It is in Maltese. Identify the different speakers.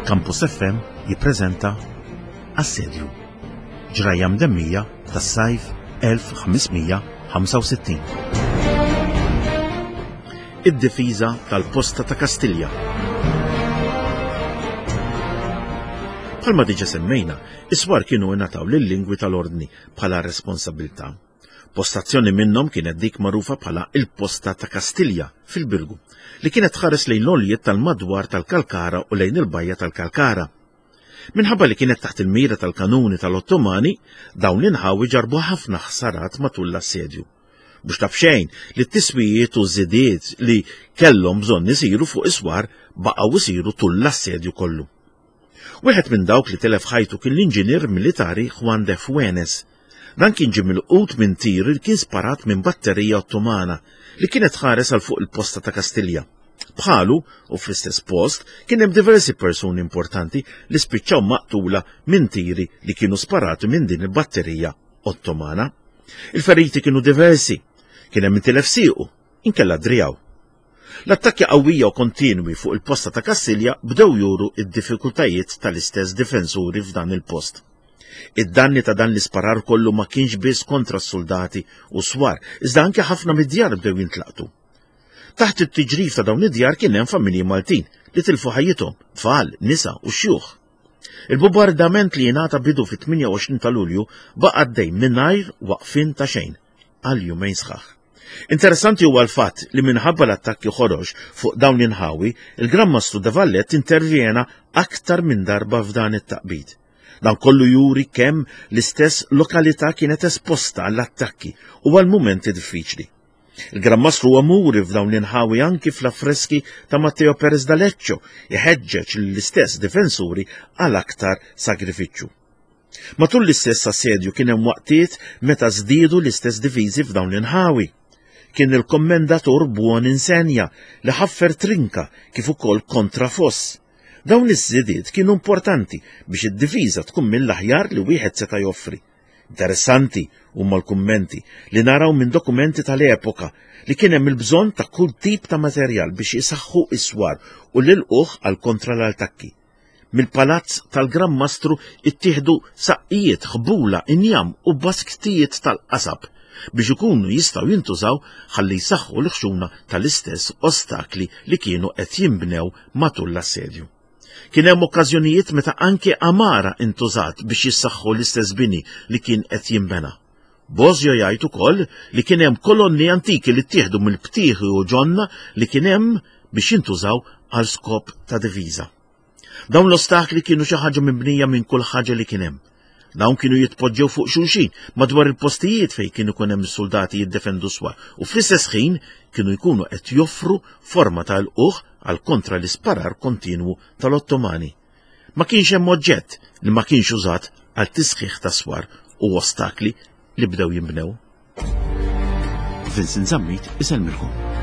Speaker 1: Campus FM jippreżenta Assedju. Ġrajja mdemmija tas-sajf 1565. Id-difiża tal-posta ta' Kastilja. Bħalma diġa semmejna, is-swar kienu ingħataw lil-lingwi tal-ordni bħala responsabilità. Postazzjoni minnhom kienet dik magħrufa bħala il-Posta ta' Kastilja fil-Birgu, li kienet tħares lejn l-għoljiet tal-madwar tal-Kalkara u lejn il-bajja tal-Kalkara. Minħabba li kienet taħt il-mira tal-kanuni tal-Ottomani, dawn l-inħawi ġarbu ħafna ħsarat matul l-assedju. Mhux ta' b'xejn li t-tiswijiet u żidiet li kellhom bżonn isiru fuq is-swar baqgħu isiru tul l-assedju kollu. Wieħed minn dawk li telef ħajtu kien l-inġinier militari Juan de Fuenes. Dan kien ġie milqut minn tir li kien sparat minn batterija Ottomana li kienet tħares għal fuq il-posta ta' Kastilja. Bħalu, u fl-istess post, kien hemm diversi persuni importanti li spiċċaw maqtula minn tiri li kienu sparati minn din il-batterija Ottomana. Il-feriti kienu diversi, kien hemm intilef siequ, inkella drijaw. L-attakki qawwija u kontinwi fuq il-posta ta' Kastilja bdew juru id-diffikultajiet tal-istess difensuri f'dan il-post. Id-danni ta' dan l-isparar kollu ma kienx biss kontra s-soldati u swar, iżda anke ħafna mid-djar bdew jintlaqtu. Taħt it-tiġrif ta' dawn id-djar kien hemm familji Maltin li tilfu ħajjithom, tfal, nisa u xjuħ. Il-bombardament li jingħata bidu fit-28 ta' Lulju baqa' għaddej mingħajr waqfien ta' xejn għal jumejn sħaħ. Interessanti huwa l-fatt li minħabba l-attakki ħorox fuq dawn l-inħawi, il-Gran Mastru de Valette intervjena aktar minn darba f'dan it-taqbid. Dan kollu juri kemm l-istess lokalità kienet esposta għall-attakki u għal mumenti diffiċli. Il-Gran Mastru huwa muri f'dawn l-inħawi anki fl-affreski ta' Matteo Perez d'Aleccio, iħeġġeġ l-istess difensuri għal aktar sagrifiċċju. Matul l-istess assedju kien hemm waqtiet meta żdiedu l-istess diviżi f'dawn l-inħawi. Kien il-kommendatur Buon Insenja li ħaffer trinka kif ukoll kontrafoss. Dawn iż-żidiet kienu importanti biex id-difiża tkun mill-aħjar li wieħed seta' joffri. Interessanti huma l-kummenti li naraw minn dokumenti tal-epoka li kien hemm il-bżonn ta' kull tip ta' materjal biex isaħħu is-swar u l-ilqugħ għal kontra l-attakki. Mill-palazz tal-Gran Mastru ittieħdu saqqijiet, ħbula, injam u basktijiet tal-qasab biex ikunu jistgħu jintużaw ħalli jsaħħu l-ħxuna tal-istess ostakli li kienu qed jinbnew matul l-assedju. Kien hemm okkażjonijiet meta anke għamara intużat biex jissaħħu l-istess bini li kien qed jinbena. Bosio jgħid ukoll li kien hemm kolonni antiki li ttieħdu mill-btieħi u ġonna li kien hemm biex jintużaw għal skop ta' diviża. Dawn l-ostakli kienu xi ħaġa mibnija minn kull ħaġa li kien hemm. Dawn kienu jitpoġġew fuq xulxin madwar il-postijiet fejn kienu ikun hemm is-soldati jiddefendu swar u fl-istess ħin kienu jkunu qed joffru forma ta' lqugħ għal kontra l-isparar kontinwu tal-Ottomani. Ma kienx hemm oġġett li ma kienx użat għal tisħiħ ta' swar u ostakli li bdew jinbnew. Vincent Zammit isellmilkom.